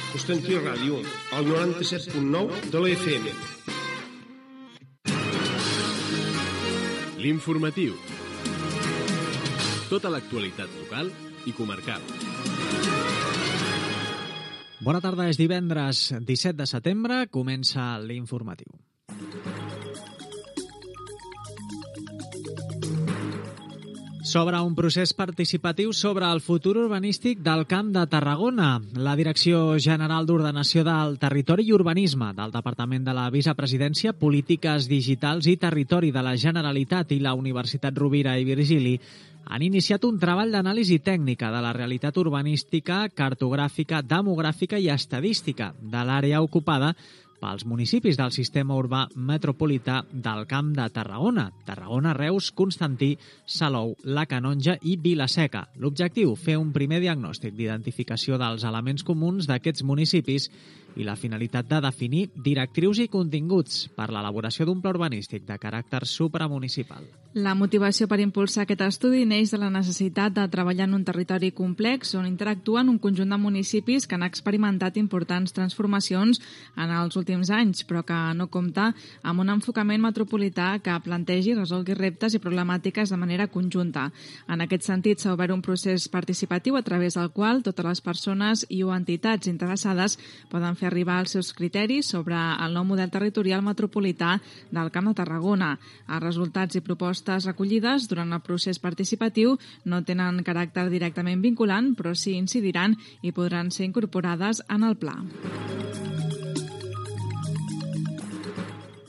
Constantí Ràdio, al 97.9 de la FM. L'informatiu. Tota l'actualitat local i comarcal. Bona tarda, és divendres 17 de setembre, comença l'informatiu. S'obre un procés participatiu sobre el futur urbanístic del Camp de Tarragona. La Direcció General d'Ordenació del Territori i Urbanisme del Departament de la Vicepresidència, Polítiques Digitals i Territori de la Generalitat i la Universitat Rovira i Virgili han iniciat un treball d'anàlisi tècnica de la realitat urbanística, cartogràfica, demogràfica i estadística de l'àrea ocupada pels municipis del sistema urbà metropolità del Camp de Tarragona, Tarragona, Reus, Constantí, Salou, la Canonja i Vila-seca. L'objectiu, fer un primer diagnòstic d'identificació dels elements comuns d'aquests municipis i la finalitat de definir directrius i continguts per l'elaboració d'un pla urbanístic de caràcter supramunicipal. La motivació per impulsar aquest estudi neix de la necessitat de treballar en un territori complex on interactuen un conjunt de municipis que han experimentat importants transformacions en els últims anys, però que no compta amb un enfocament metropolità que plantegi i resolgui reptes i problemàtiques de manera conjunta. En aquest sentit, s'ha obert un procés participatiu a través del qual totes les persones i o entitats interessades poden fer arribar els seus criteris sobre el nou model territorial metropolità del Camp de Tarragona. Els resultats i propostes recollides durant el procés participatiu no tenen caràcter directament vinculant, però sí incidiran i podran ser incorporades en el pla.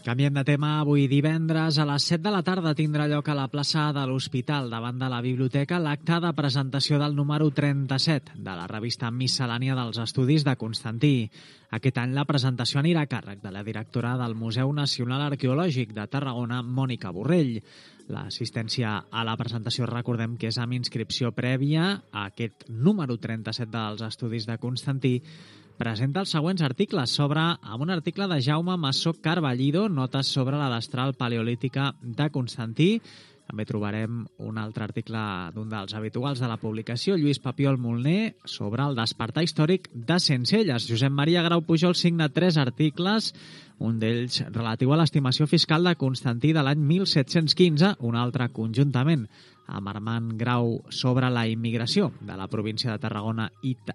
Canviem de tema. Avui divendres a les 7 de la tarda tindrà lloc a la plaça de l'Hospital, davant de la biblioteca, l'acte de presentació del número 37 de la revista Miscel·lània dels Estudis de Constantí. Aquest any la presentació anirà a càrrec de la directora del Museu Nacional Arqueològic de Tarragona, Mònica Borrell. L'assistència a la presentació, recordem que és amb inscripció prèvia. Aquest número 37 dels Estudis de Constantí presenta els següents articles amb un article de Jaume Massó Carballido, notes sobre la destral paleolítica de Constantí. També trobarem un altre article d'un dels habituals de la publicació, Lluís Papiol Molner, sobre el despertar històric de Sencelles. Josep Maria Grau Pujol signa 3 articles, un d'ells relatiu a l'estimació fiscal de Constantí de l'any 1715, un altre conjuntament amb Armand Grau sobre la immigració de la província de Tarragona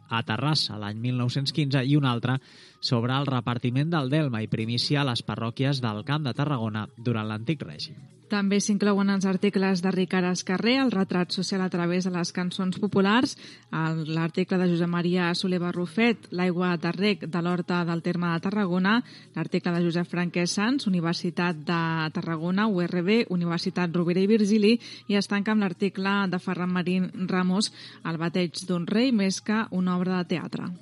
a Terrassa l'any 1915 i un altre sobre el repartiment del delme i primícia a les parròquies del Camp de Tarragona durant l'antic règim. També s'inclouen els articles de Ricard Escarrer, el retrat social a través de les cançons populars, l'article de Josep Maria Soler Barrufet, l'aigua de rec de l'Horta del terme de Tarragona, l'article de Josep Franquès Sans, Universitat de Tarragona, URB, Universitat Rovira i Virgili, i es tanca amb l'article de Ferran Marín Ramos, El bateig d'un rei més que una obra de teatre.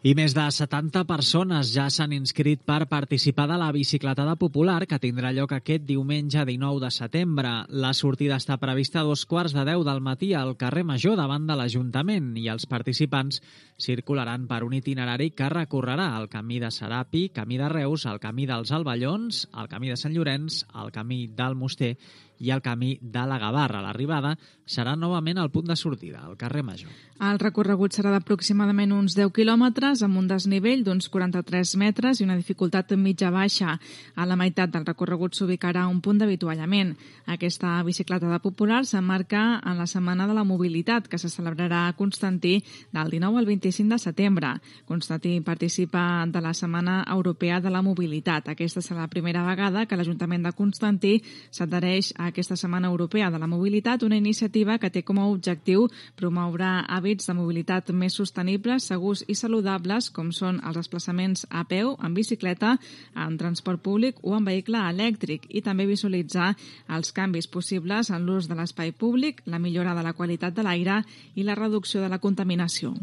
I més de 70 persones ja s'han inscrit per participar de la bicicletada popular que tindrà lloc aquest diumenge 19 de setembre. La sortida està prevista a 2:15 del matí al carrer Major davant de l'Ajuntament i els participants circularan per un itinerari que recorrerà el camí de Serapi, camí de Reus, el camí dels Alballons, el camí de Sant Llorenç, el camí del Moster i el camí de la Gavarra. L'arribada serà novament al punt de sortida, al carrer Major. El recorregut serà d'aproximadament uns 10 quilòmetres amb un desnivell d'uns 43 metres i una dificultat mitja-baixa. A la meitat del recorregut s'ubicarà un punt d'avituallament. Aquesta bicicletada popular s'emmarca en la Setmana de la Mobilitat, que se celebrarà a Constantí del 19 al 25 de setembre. Constantí participa de la Setmana Europea de la Mobilitat. Aquesta serà la primera vegada que l'Ajuntament de Constantí s'adhereix a aquesta Setmana Europea de la Mobilitat, una iniciativa que té com a objectiu promoure hàbits de mobilitat més sostenibles, segurs i saludables, com són els desplaçaments a peu, en bicicleta, en transport públic o en vehicle elèctric, i també visualitzar els canvis possibles en l'ús de l'espai públic, la millora de la qualitat de l'aire i la reducció de la contaminació.